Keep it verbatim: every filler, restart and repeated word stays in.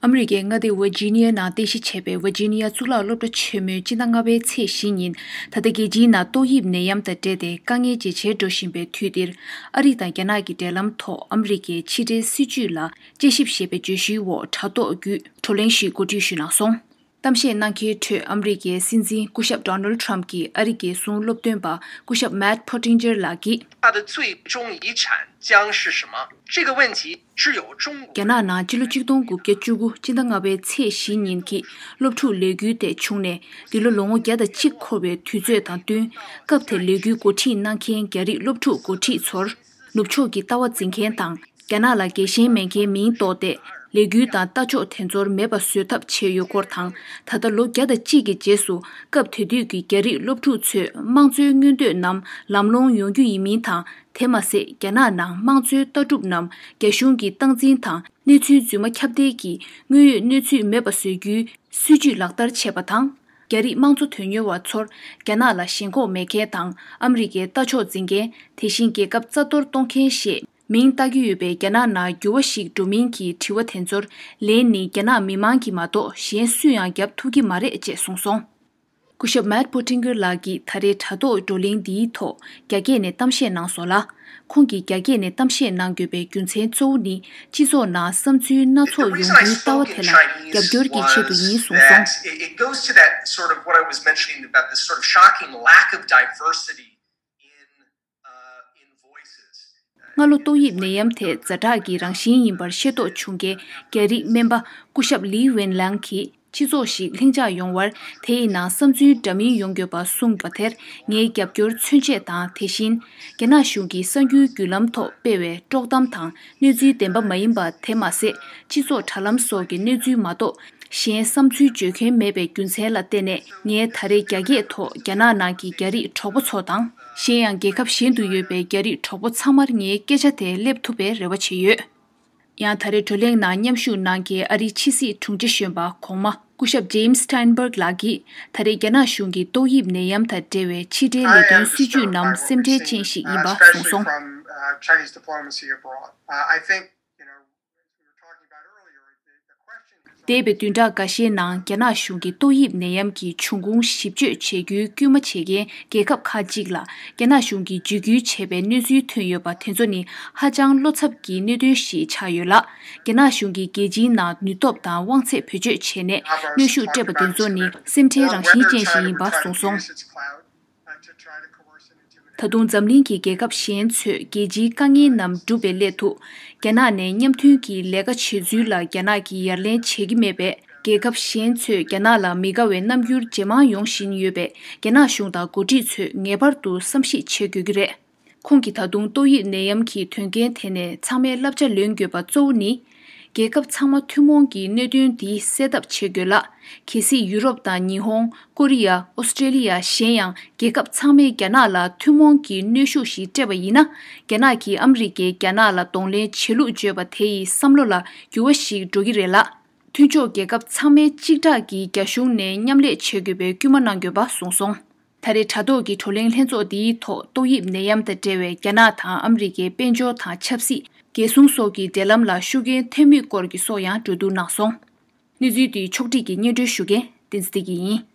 ཨ་མི་རི་ཀའི་མངའ་སྡེ་ཝར་ཇི་ནི་ཡ་ནང་རྟེན་གཞི་བྱས་པའི་ཝར་ཇི་ནི་ཡ་གཙུག་ལག་སློབ་གྲྭ་ཆེན་མོའི་སྤྱི་ཟླ་ལྔ་པའི་ཚེས་བཞི་ཉིན། ད་ལྟ་རྒྱལ་སྤྱིའི་ནང་ཏོག་དབྱིབས་ནད་ཡམས་དང་འབྲེལ་ཏེ་དཀའ་ངལ་ཇེ་ཆེར་འགྲོ་བཞིན་པའི་དུས་འདིར། ཨ་རི་དང་རྒྱ་ནག་གི་འབྲེལ་ལམ་ཐོག་ཨ་མི་རི་ཀའི་ཕྱི་འབྲེལ་སྲིད་ཇུས་ལ་དཔྱད་ཞིབ་ཞེས་པའི་བརྗོད་གཞིའི་འོག་དྲ་ཐོག་བརྒྱུད་བགྲོ་གླེང་ཞིག་གོ་སྒྲིག་ཞུས་གནང་སོང་། གཏམ་བཤད་གནང་མཁན་ཁྲོད་ཨ་མི་རི་ཀའི་སྲིད་འཛིན་སྐུ་ཞབས་Donald Trump གྱི་ཨ་རི་རྒྱལ་སྲུང་སློབ་སྟོན་པ་སྐུ་ཞབས་Matt Pottinger ལགས་ཀྱིས། 它的最终遗产将是什么？这个问题只有中国。 རྒྱ་ནག་ནང་ཕྱི་ལོ་ཆིག་སྟོང་དགུ་བརྒྱ་བཅུ་དགུ་སྤྱི་ཟླ་ལྔ་པའི་ཚེས་བཞི་ཉིན་གྱི་སློབ་ཕྲུག་ལས་འགུལ་དེ་བྱུང་ནས། འདི་ལོ་ལོ་ངོ་བརྒྱ་དང་གཅིག་འཁོར་བའི་དུས་ཚོད་དང་བསྟུན། སྐབས་དེར་ལས་འགུལ་འགོ་ཁྲིད་གནང་མཁན་རྒྱ་རིགས་སློབ་ཕྲུག་འགོ་ཁྲིད་ཚོར། ནུབ་ཕྱོགས་ཀྱི་ལྟ་བ་འཛིན་མཁན་དང་། རྒྱ་ནག་ལ་རྒྱལ་ཞེན་མེད་མཁན་མིང་འདོགས་ཏེ། ལས་འགུལ་དང་ལྟ་ཕྱོགས་དེ་ཚོར་མེད་པ་བཟོ་ཐབས་བྱས་ཡོད་སྐོར་དང་། ད་ལྟ་ལོ་བརྒྱ་དང་གཅིག་གི་རྗེས་སུ་སྐབས་དེ་དུས་ཀྱི་རྒྱ་རིགས་སློབ་ཕྲུག་ཚོས་དམངས་གཙོའི་མངོན་འདོད་རྣམས་ལམ་ལྷོང་ཡོང་རྒྱུ་ཡིན་མིན་དང་། དེ་མ་ཟད། རྒྱ་ནག་ནང་དམངས་གཙོའི་ལྟ་གྲུབ་རྣམས་རྒྱ་གཞུང་གི་སྟངས་འཛིན་དང་། གནས་ཚུལ་རྫུན་མ་ཁྱབ་གདལ་གྱིས་དངོས་ཡོད་གནས་ཚུལ་མེད་པ་བཟོ་རྒྱུའི་སྲིད་ཇུས་ལག་བསྟར་བྱས་པ་དང་། རྒྱ་རིགས་དམངས་གཙོ་དོན་གཉེར་བ་ཚོར་རྒྱ་ནག་ལ་ཞེན་ཁོག་མེད་མཁན་དང་། ཨ་མི་རི་ཀའི་ལྟ་ཕྱོགས་འཛིན་མཁན། དེ་བཞིན་རྒྱལ་ཁབ་རྩ་གཏོར་གཏོང་མཁན་ཞེས་མིང་བཏགས་ཀྱི་ཡོད་པའི་རྒྱ་ནག་ནང་འགྱུར་བ་ཞིག་འགྲོ་མིན་གྱི་དྲི་བ་དེ་ཚོར་ལན་ནི་རྒྱ་ནག་མི་མང་གིས་མ་གཏོགས་གཞན་སུས་ཡང་བརྒྱབ་ཐུབ་ཀྱི་མ་རེད་ཅེས་གསུངས་སོང་། སྐུ་ཞབས་Matt Pottinger ལགས་ཀྱིས་ད་རེས་དྲ་ཐོག་བགྲོ་གླེང་འདིའི་ཐོག་རྒྱ་སྐད་ནས་གཏམ་བཤད་གནང་སོང་ལ། ཁོང་གིས་རྒྱ་སྐད་ནས་གཏམ་བཤད་གནང་དགོས་པའི་རྒྱུ་མཚན་གཙོ་བོ་ནི། སྤྱི་ཚོགས་ནང་བསམ་ཚུལ་སྣ་ཚོགས་ཡོང་རྒྱུའི་ལྟ་བ་དེ་ལ་རྒྱབ་སྐྱོར་གྱི་ཆེད་དུ་ཡིན་གསུངས་སོང་། It goes to that sort of what I was mentioning about this sort of shocking lack of diversity in, uh, in voices. སྔ་ལོ་ཏོག་དབྱིབས་ནད་ཡམས་དེ་ཛ་དྲག་གི་རང་བཞིན་ཡིན་པར་ཤེས་རྟོགས་བྱུང་རྐྱེན། རྒྱ་རིགས་སྨན་པ་སྐུ་ཞབས་Li Wenliang གིས། སྤྱི་ཚོགས་ཤིག་ལྷིང་འཇགས་ཡོང་བར། དེ་ཡི་ནང་བསམ་ཚུལ་འདྲ་མིན་ཡོང་དགོས་པ་གསུངས་པ་དེར་ངའི་རྒྱབ་སྐྱོར་མཚོན་ཆེད་དང་། དེ་བཞིན། རྒྱ་ནག་གཞུང་གིས་གསར་འགྱུར་བརྒྱུད་ལམ་ཐོག་སྤེལ་བའི་དཀྲོག་གཏམ་དང་གནས་ཚུལ་བདེན་པ་མ་ཡིན་པ་དེ་མ་ཟད། སྤྱི་ཚོགས་དྲ་ལམ་སོགས་ཀྱི་གནས་ཚུལ་མ་གཏོགས། གཞན་བསམ་ཚུལ་བརྗོད་མཁན་མེད་པའི་རྒྱུ་མཚན་ལ་བརྟེན་ནས། ངས་ད་རེས་རྒྱ་སྐད་ཐོག་རྒྱ་ནག་ནང་གི་རྒྱ་རིགས་གྲོགས་པོ་ཚོ་དང་། གཞན་ཡང་རྒྱལ་ཁབ་གཞན་དུ་ཡོད་པའི་རྒྱ་རིགས་གྲོགས་པོ་ཚང་མར་ངའི་སྐད་ཆ་དེ་སླེབས་ཐུབ་པའི་རེ་བ་བྱེད་ཡོད། ཡང་ད་རེས་བགྲོ་གླེང་ནང་མཉམ་ཞུགས་གནང་མཁན་ཨ་རིའི་ཕྱི་སྲིད་དྲུང་ཆེ་གཞོན་པ་གོང་མ་སྐུ་ཞབས་James Steinberg ལགས་ཀྱིས། ད་རེས་རྒྱ་ནག་གཞུང་གིས་ཏོག་དབྱིབས་ནད་ཡམས་དང་འབྲེལ་བའི་ཕྱི་འབྲེལ་ལས་དོན་སྲིད་ཇུས་རྣམས་སེམས་ཁྲལ་ཅན་ཞིག་ཡིན་པ་གསུངས་སོང་། འདས་པའི་བདུན་ཕྲག་འགའ་ཤས་ནང་རྒྱ་ནག་གཞུང་གིས་ཏོག་དབྱིབས་ནད་ཡམས་ཀྱི་འབྱུང་ཁུངས་ཞིབ་དཔྱོད་བྱེད་རྒྱུའི་སྐུལ་མ་བྱེད་མཁན་རྒྱལ་ཁབ་ཁག་ཅིག་ལ་རྒྱ་ནག་གཞུང་གིས་འཇིགས་སྐུལ་བྱས་པའི་གནས་ཚུལ་ཐོན་ཡོད་པ་དེ་ཚོ་ནི་ཧ་ཅང་བློ་འཚབ་ཀྱི་གནད་དོན་ཞིག་ཆགས་ཡོད་ལ། རྒྱ་ནག་གཞུང་གིས་རྒྱལ་སྤྱིའི་ནང་ནུས་སྟོབས་དང་དབང་ཚད་བེད་སྤྱོད་བྱས་ནས་གནོན་ཤུགས་སྤྲད་པ་དེ་ཚོ་ནི་སེམས་ཁྲལ་རང་བཞིན་ཅན་ཞིག་ཡིན་པ་གསུངས་སོང་། ད་དུང་འཛམ་གླིང་གི་རྒྱལ་ཁབ་གཞན་ཚོས་རྒྱལ་སྤྱིའི་དཀའ་ངལ་རྣམས་སྒྲུབ་པའི་སླད་དུ། རྒྱ་ནག་ནས་མཉམ་མཐུན་གྱི་ལས་ཀ་བྱེད་ཚུལ་ལ་རྒྱ་ནག་གིས་ཡ་ལན་བྱེད་ཀྱི་མེད་པས། རྒྱལ་ཁབ་གཞན་ཚོས་རྒྱ་ནག་ལ་མི་དགའ་བའི་རྣམ་འགྱུར་ཇེ་མང་ཡོང་བཞིན་ཡོད་པས། རྒྱ་ནག་གཞུང་དང་འགོ་ཁྲིད་ཚོས་ངེས་པར་དུ་བསམ་གཞིག་བྱེད་དགོས་ཀྱི་རེད། ཁོང་གིས་ད་དུང་ཏོག་དབྱིབས་ནད་ཡམས་ཀྱི་དོན་རྐྱེན་དེ་ནས་ཚང་མས་བསླབ་བྱ་ལོན་དགོས་པ་གཙོ་བོ་ནི། རྒྱལ་ཁབ་ཚང་མ་ཐུན་མོང་གི་གནད་དོན་འདི་སེལ་ཐབས་བྱེད་དགོས་ལ། གལ་སྲིད་ཡུ་རོབ་དང་ཉི་ཧོང་། ཀོ་རི་ཡ། ཨོ་སི་ཀྲེ་ལི་ཡ། གཞན་ཡང་རྒྱལ་ཁབ་ཚང་མས་རྒྱ་ནག་ལ་ཐུན་མོང་གི་གནོན་ཤུགས་ཤིག་སྤྲད་པ་ཡིན་ན། རྒྱ་ནག་གིས་ཨ་མི་རི་ཀས་རྒྱ་ནག་ལ་གདོང་ལེན་བྱེད་ལུགས་བརྗོད་པ་དེ་ཡི་བསམ་བློ་ལ་འགྱུར་བ་ཞིག་འགྲོ་གི་རེད་ལ། མཐུན་ཕྱོགས་རྒྱལ་ཁབ་ཚང་མས་གཅིག་གྲགས་ཀྱིས་རྒྱ་གཞུང་ནས་མཉམ་ལས་བྱེད་དགོས་པའི་སྐུལ་མ་གནང་དགོས་པ་གསུངས་སོང་། ད་རེས་དྲ་ཐོག་གི་བགྲོ་གླེང་ལྷན་ཚོགས་འདིའི་ཐོག་ཏོག་དབྱིབས་ནད་ཡམས་དང་འབྲེལ་བའི་རྒྱ་ནག་དང་ཨ་མི་རི་ཀའི་དཔལ་འབྱོར་དང་ཆབ་སྲིད། རྒྱལ་སྲུང་སོགས་ཀྱི་འབྲེལ་ལམ་ལ་ཤུགས་རྐྱེན་ཐེབས་མུས་སྐོར་གྱི་སོགས་ཡང་གྲོས་བསྡུར་གནང་སོང་། གནས་ཚུལ་འདི་ཕྱོགས་སྒྲིག་གིས་སྙན་སྒྲོན་ཞུ་མཁན་བསྟན་འཛིན་བདེ་སྐྱིད་ཡིན།